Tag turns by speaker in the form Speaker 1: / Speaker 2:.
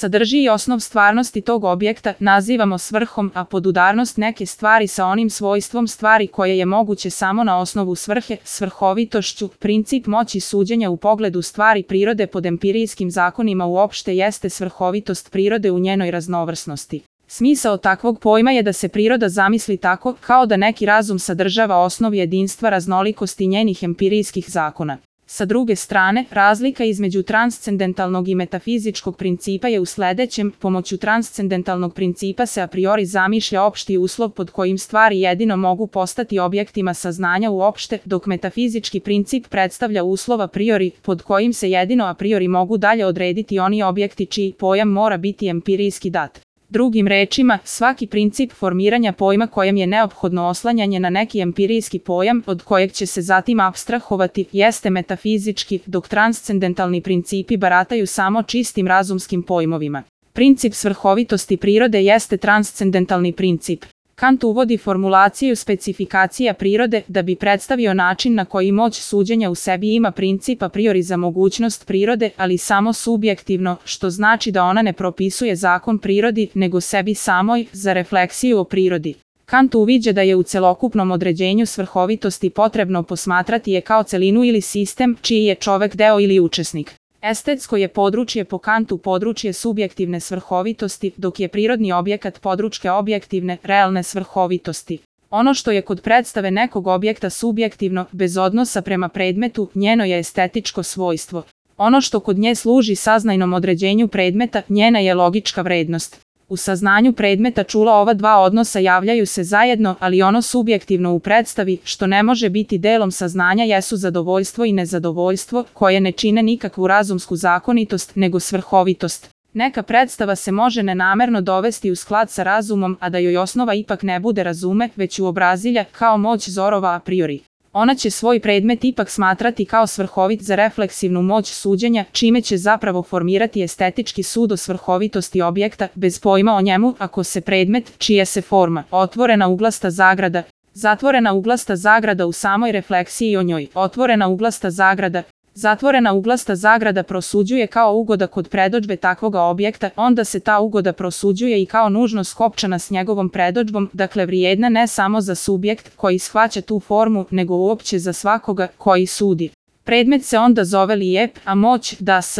Speaker 1: sadrži i osnov stvarnosti tog objekta, nazivamo svrhom, a podudarnost neke stvari sa onim svojstvom stvari koje je moguće samo na osnovu svrhe, svrhovitošću. Princip moći suđenja u pogledu stvari prirode pod empirijskim zakonima uopšte jeste svrhovitost prirode u njenoj raznovrsnosti. Smisao takvog pojma je da se priroda zamisli tako, kao da neki razum sadržava osnov jedinstva raznolikosti njenih empirijskih zakona. Sa druge strane, razlika između transcendentalnog i metafizičkog principa je u sledećem: pomoću transcendentalnog principa se a priori zamišlja opšti uslov pod kojim stvari jedino mogu postati objektima saznanja uopšte, dok metafizički princip predstavlja uslov a priori, pod kojim se jedino a priori mogu dalje odrediti oni objekti čiji pojam mora biti empirijski dat. Drugim rečima, svaki princip formiranja pojma kojem je neophodno oslanjanje na neki empirijski pojam, od kojeg će se zatim apstrahovati, jeste metafizički, dok transcendentalni principi barataju samo čistim razumskim pojmovima. Princip svrhovitosti prirode jeste transcendentalni princip. Kant uvodi formulaciju specifikacija prirode da bi predstavio način na koji moć suđenja u sebi ima princip a priori za mogućnost prirode, ali samo subjektivno, što znači da ona ne propisuje zakon prirodi, nego sebi samoj, za refleksiju o prirodi. Kant uviđa da je u celokupnom određenju svrhovitosti potrebno posmatrati je kao celinu ili sistem, čiji je čovek deo ili učesnik. Estetsko je područje po Kantu područje subjektivne svrhovitosti, dok je prirodni objekat područje objektivne, realne svrhovitosti. Ono što je kod predstave nekog objekta subjektivno, bez odnosa prema predmetu, njeno je estetičko svojstvo. Ono što kod nje služi saznajnom određenju predmeta, njena je logička vrednost. U saznanju predmeta čula ova dva odnosa javljaju se zajedno, ali ono subjektivno u predstavi, što ne može biti delom saznanja, jesu zadovoljstvo i nezadovoljstvo, koje ne čine nikakvu razumsku zakonitost, nego svrhovitost. Neka predstava se može nenamerno dovesti u sklad sa razumom, a da joj osnova ipak ne bude razume, već uobrazilja, kao moć zorova a priori. Ona će svoj predmet ipak smatrati kao svrhovit za refleksivnu moć suđenja, čime će zapravo formirati estetički sud o svrhovitosti objekta, bez pojma o njemu, ako se predmet, čija se forma, otvorena uglasta zagrada, zatvorena uglasta zagrada u samoj refleksiji o njoj, otvorena uglasta zagrada, zatvorena uglasta zagrada prosuđuje kao ugoda kod predodžbe takvoga objekta, onda se ta ugoda prosuđuje i kao nužno skopčana s njegovom predodžbom, dakle vrijedna ne samo za subjekt koji shvaća tu formu, nego uopće za svakoga koji sudi. Predmet se onda zove lijep, a moć da s.